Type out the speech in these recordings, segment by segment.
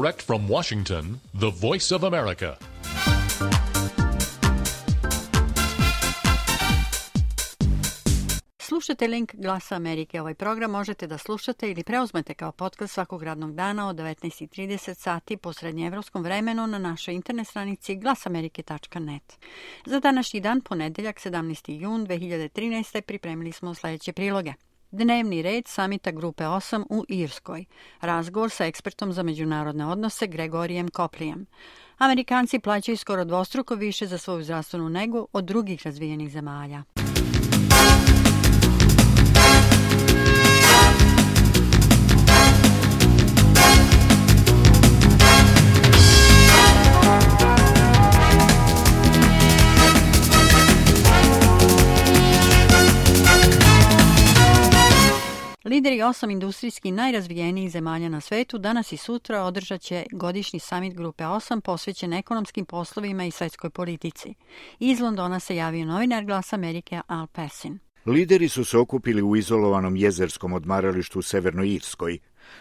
Direct from Washington, the Voice of America. Slušajte link Glasa Amerike. Ovaj program možete da slušate ili preuzmete kao podcast svakog radnog dana od 19:30 sati po srednjeevropskom vremenu na našoj internet stranici glasamerike.net. Za današnji dan, ponedeljak 17. jun 2013. pripremili smo sljedeće priloge. Dnevni red samita Grupe 8 u Irskoj. Razgovor sa ekspertom za međunarodne odnose Gregorijem Coplijem. Amerikanci plaćaju skoro dvostruko više za svoju zdravstvenu negu od drugih razvijenih zemalja. Lideri 8 industrijski najrazvijenijih zemalja na svetu danas i sutra održat će godišnji samit Grupe 8 posvećen ekonomskim poslovima i svetskoj politici. Iz Londona se javio novinar Glasa Amerike Al Persin. Lideri su se okupili u izolovanom jezerskom odmaralištu u Severnoj Irskoj.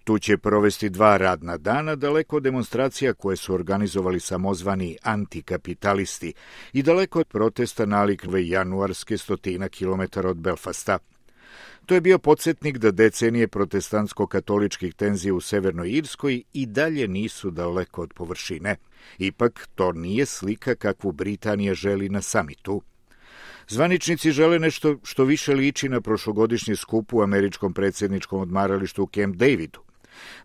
Tu će provesti 2 radna dana, daleko od demonstracija koje su organizovali samozvani antikapitalisti i daleko od protesta nalikve januarske 100 kilometara od Belfasta. To je bio podsjetnik da decenije protestantsko-katoličkih tenzija u Severnoj Irskoj i dalje nisu daleko od površine. Ipak, to nije slika kakvu Britanija želi na samitu. Zvaničnici žele nešto što više liči na prošlogodišnji skup u američkom predsjedničkom odmaralištu u Camp Davidu.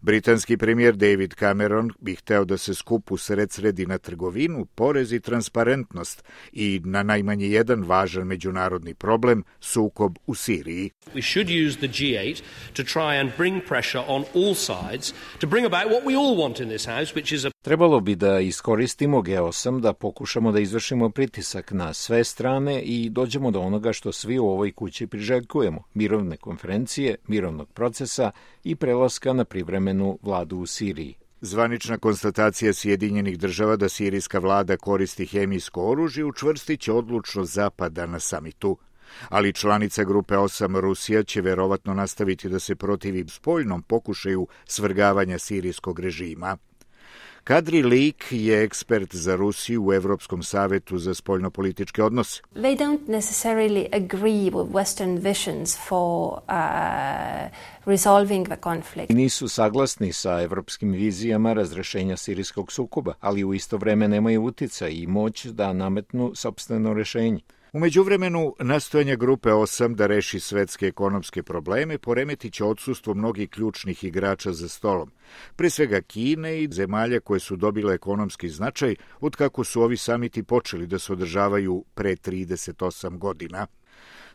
Britanski premijer David Cameron bi hteo da se skup usredsredi na trgovinu, porez i transparentnost i na najmanje jedan važan međunarodni problem, sukob u Siriji. We should use the G8 to try and bring pressure on all sides to bring about what we all want in this house, which is a... Trebalo bi da iskoristimo G8 da pokušamo da izvršimo pritisak na sve strane i dođemo do onoga što svi u ovoj kući priželjkujemo, mirovne konferencije, mirovnog procesa i prelaska na privremenu vladu u Siriji. Zvanična konstatacija Sjedinjenih država da sirijska vlada koristi hemijsko oružje učvrstit će odlučnost Zapada na samitu. Ali članica Grupe 8 Rusija će verovatno nastaviti da se protivi spoljnom pokušaju svrgavanja sirijskog režima. Kadri Lik je ekspert za Rusiju u Evropskom savetu za spoljnopolitičke odnose. They don't necessarily agree with Western visions for resolving the conflict. Nisu saglasni sa evropskim vizijama razrešenja sirijskog sukoba, ali u isto vreme nemaju uticaj i moć da nametnu sopstveno rešenje. U međuvremenu, nastojanja Grupe 8 da reši svetske ekonomske probleme poremetit će odsustvo mnogih ključnih igrača za stolom, pre svega Kine i zemalja koje su dobile ekonomski značaj od kako su ovi samiti počeli da se održavaju pre 38 godina.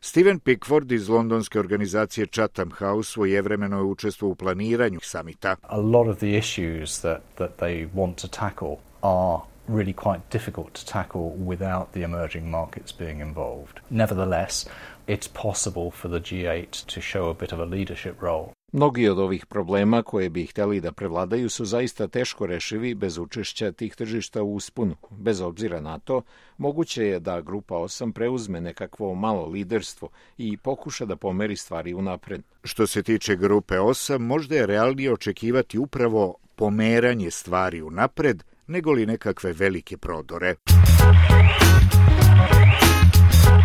Steven Pickford iz londonske organizacije Chatham House svojevremeno je učestvovao u planiranju samita. A lot of the issues that they want to tackle are really quite difficult to tackle without the emerging markets being involved. Nevertheless, it's possible for the G8 to show a bit of a leadership role. Mnogi od ovih problema koje bi hteli da prevladaju su zaista teško rešivi bez učešća tih tržišta u usponu. Bez obzira na to, moguće je da Grupa 8 preuzme nekakvo malo liderstvo i pokuša da pomeri stvari unapred. Što se tiče Grupe 8, možda je realnije očekivati upravo pomeranje stvari unapred, nego li nekakve velike prodore.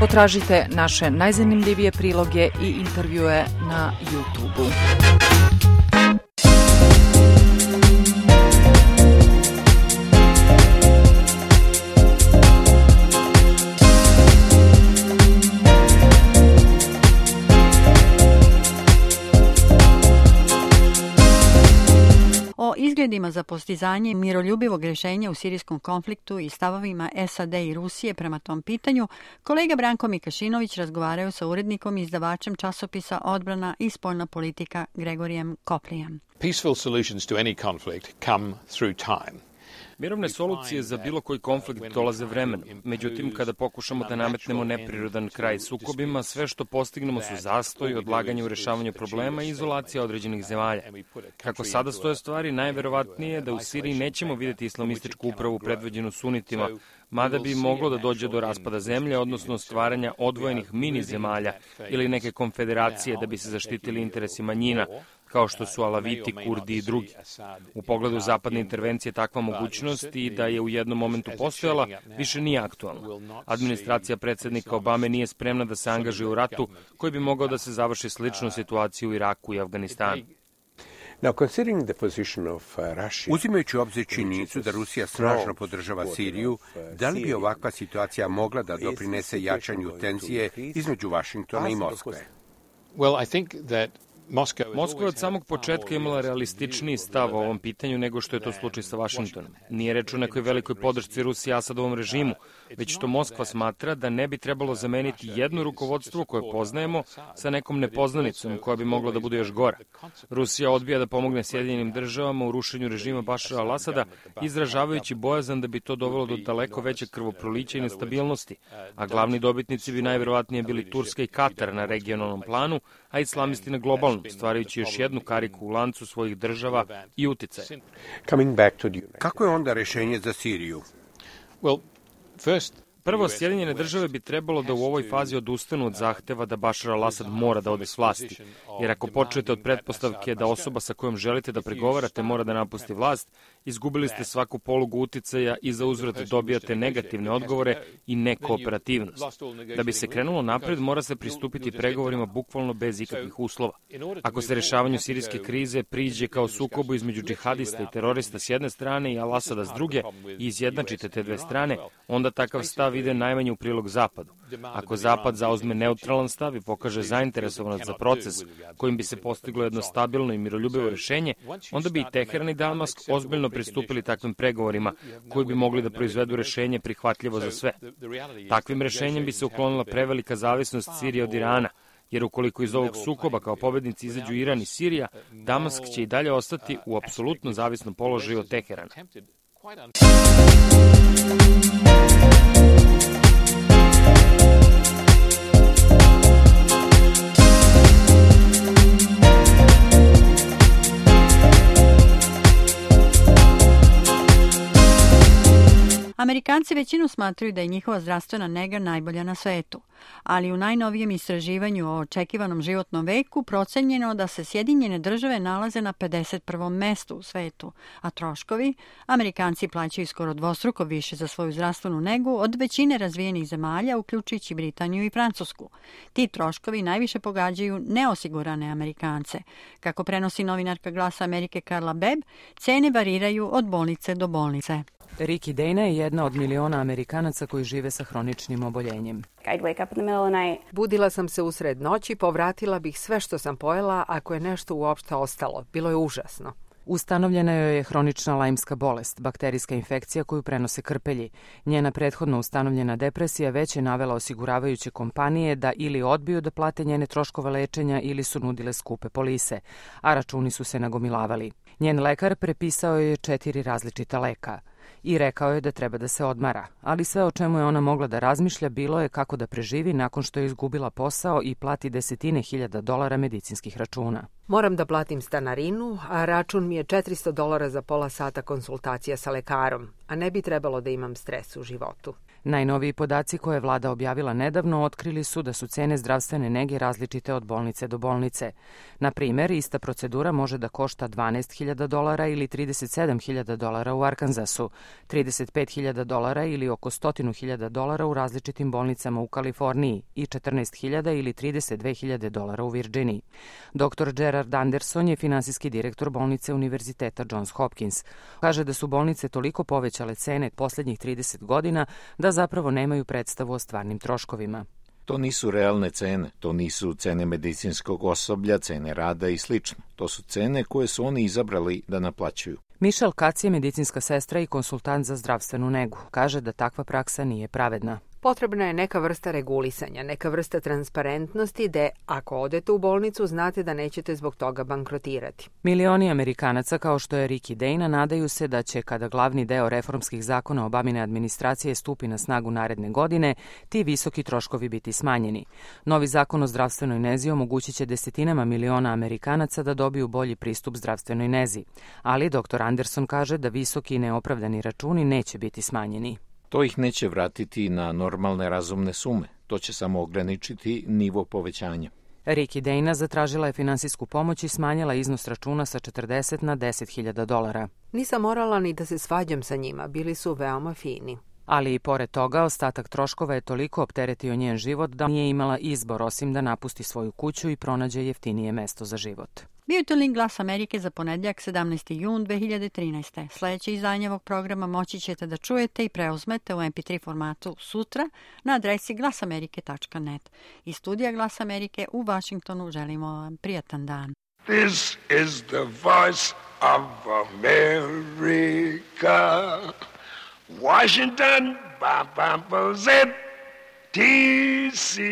Potražite naše najzanimljivije priloge i intervjue na YouTube-u. O izgledima za postizanje miroljubivog rješenja u sirijskom konfliktu i stavovima SAD i Rusije prema tom pitanju, kolega Branko Mikašinović razgovaraju sa urednikom i izdavačem časopisa Odbrana i spoljna politika Gregorijem Coplijem. Peaceful solutions to any conflict come through time. Mirovne solucije za bilo koji konflikt dolaze vremenom. Međutim, kada pokušamo da nametnemo neprirodan kraj sukobima, sve što postignemo su zastoj, odlaganje u rešavanju problema i izolacija određenih zemalja. Kako sada stoje stvari, najverovatnije je da u Siriji nećemo vidjeti islamističku upravu predvođenu sunitima, mada bi moglo da dođe do raspada zemlje, odnosno stvaranja odvojenih mini zemalja ili neke konfederacije da bi se zaštitili interesi manjina, kao što su Alaviti, Kurdi i drugi. U pogledu zapadne intervencije takva mogućnost i da je u jednom momentu postojala, više nije aktualna. Administracija predsjednika Obame nije spremna da se angažuje u ratu koji bi mogao da se završi sličnu situaciju u Iraku i Afganistanu. Uzimajući u obzir činjenicu da Rusija snažno podržava Siriju, da li bi ovakva situacija mogla da doprinese jačanju tenzije između Vašingtona i Moskve? Moskva je od samog početka imala realističniji stav o ovom pitanju nego što je to slučaj sa Vašingtonom. Nije reč o nekoj velikoj podršci Rusije Asadovom režimu, već što Moskva smatra da ne bi trebalo zameniti jedno rukovodstvo koje poznajemo sa nekom nepoznanicom koja bi mogla da bude još gora. Rusija odbija da pomogne Sjedinjenim državama u rušenju režima Bašara al-Asada, izražavajući bojazan da bi to dovelo do daleko većeg krvoprolića i nestabilnosti, a glavni dobitnici bi najverovatnije bili Turska i Katar na regionalnom planu, a islamisti na globalnom, stvarajući još jednu kariku u lancu svojih država i uticaja. Kako je onda rešenje za Siriju? Prvo, Sjedinjene države bi trebalo da u ovoj fazi odustanu od zahteva da Bašar al-Asad mora da ode s vlasti, jer ako počnete od pretpostavke da osoba sa kojom želite da pregovarate mora da napusti vlast, izgubili ste svaku polugu uticaja i za uzvrat dobijate negativne odgovore i nekooperativnost. Da bi se krenulo napred, mora se pristupiti pregovorima bukvalno bez ikakvih uslova. Ako se rešavanju sirijske krize priđe kao sukobu između džihadista i terorista s jedne strane i al-Asada s druge i izjednačite te dve strane, onda takav stav ide najmanje u prilog Zapadu. Ako Zapad zauzme neutralan stav i pokaže zainteresovanost za proces kojim bi se postiglo jedno stabilno i miroljubivo rešenje, onda bi i Teheran i Damask ozbiljno pristupili takvim pregovorima koji bi mogli da proizvedu rešenje prihvatljivo za sve. Takvim rešenjem bi se uklonila prevelika zavisnost Sirije od Irana, jer ukoliko iz ovog sukoba kao pobednici izađu Iran i Sirija, Damask će i dalje ostati u apsolutno zavisnom položaju od Teherana. Amerikanci većinu smatraju da je njihova zdravstvena nega najbolja na svetu, ali u najnovijem istraživanju o očekivanom životnom veku procenjeno da se Sjedinjene države nalaze na 51. mestu u svetu, a troškovi Amerikanci plaćaju skoro dvostruko više za svoju zdravstvenu negu od većine razvijenih zemalja, uključujući Britaniju i Francusku. Ti troškovi najviše pogađaju neosigurane Amerikance. Kako prenosi novinarka Glasa Amerike Carla Bebb, cene variraju od bolnice do bolnice. Riki Dana je jedna od miliona Amerikanaca koji žive sa hroničnim oboljenjem. Budila sam se usred noći, povratila bih sve što sam pojela ako je nešto uopšte ostalo. Bilo je užasno. Ustanovljena joj je hronična lajmska bolest, bakterijska infekcija koju prenose krpelji. Njena prethodno ustanovljena depresija već je navela osiguravajuće kompanije da ili odbiju da plate njene troškove lečenja ili su nudile skupe polise, a računi su se nagomilavali. Njen lekar prepisao je 4 različita leka i rekao je da treba da se odmara, ali sve o čemu je ona mogla da razmišlja bilo je kako da preživi nakon što je izgubila posao i plati $10,000 medicinskih računa. Moram da platim stanarinu, a račun mi je $400 za pola sata konsultacija sa lekarom, a ne bi trebalo da imam stres u životu. Najnoviji podaci koje je vlada objavila nedavno otkrili su da su cene zdravstvene nege različite od bolnice do bolnice. Na primer, ista procedura može da košta $12,000 ili $37,000 u Arkansasu, $35,000 ili oko $100,000 u različitim bolnicama u Kaliforniji i $14,000 ili $32,000 u Virginiji. Dr. Gerard Anderson je finansijski direktor bolnice Univerziteta Johns Hopkins. Kaže da su bolnice toliko povećale cene poslednjih 30 godina da zapravo nemaju predstavu o stvarnim troškovima. To nisu realne cene, to nisu cene medicinskog osoblja, cene rada i slično. To su cene koje su oni izabrali da naplaćuju. Michelle Katz je medicinska sestra i konsultant za zdravstvenu negu. Kaže da takva praksa nije pravedna. Potrebna je neka vrsta regulisanja, neka vrsta transparentnosti da ako odete u bolnicu znate da nećete zbog toga bankrotirati. Milioni Amerikanaca kao što je Riki Dana nadaju se da će kada glavni deo reformskih zakona Obamine administracije stupi na snagu naredne godine, ti visoki troškovi biti smanjeni. Novi zakon o zdravstvenoj nezi omogućit će desetinama miliona Amerikanaca da dobiju bolji pristup zdravstvenoj nezi, ali dr. Anderson kaže da visoki i neopravdani računi neće biti smanjeni. To ih neće vratiti na normalne razumne sume. To će samo ograničiti nivo povećanja. Riki Dejna zatražila je finansijsku pomoć i smanjila iznos računa sa 40 na $10.000. Nisam morala ni da se svađam sa njima, bili su veoma fini. Ali i pored toga, ostatak troškova je toliko opteretio njen život da nije imala izbor osim da napusti svoju kuću i pronađe jeftinije mesto za život. Bio je to link Glas Amerike za ponedjeljak 17. jun 2013. Sljedeće izdanje ovog programa moći ćete da čujete i preuzmete u MP3 formatu sutra na adresi glasamerike.net. Iz studija Glas Amerike u Vašingtonu želimo vam prijatan dan. This is the voice of America. Washington, D.C.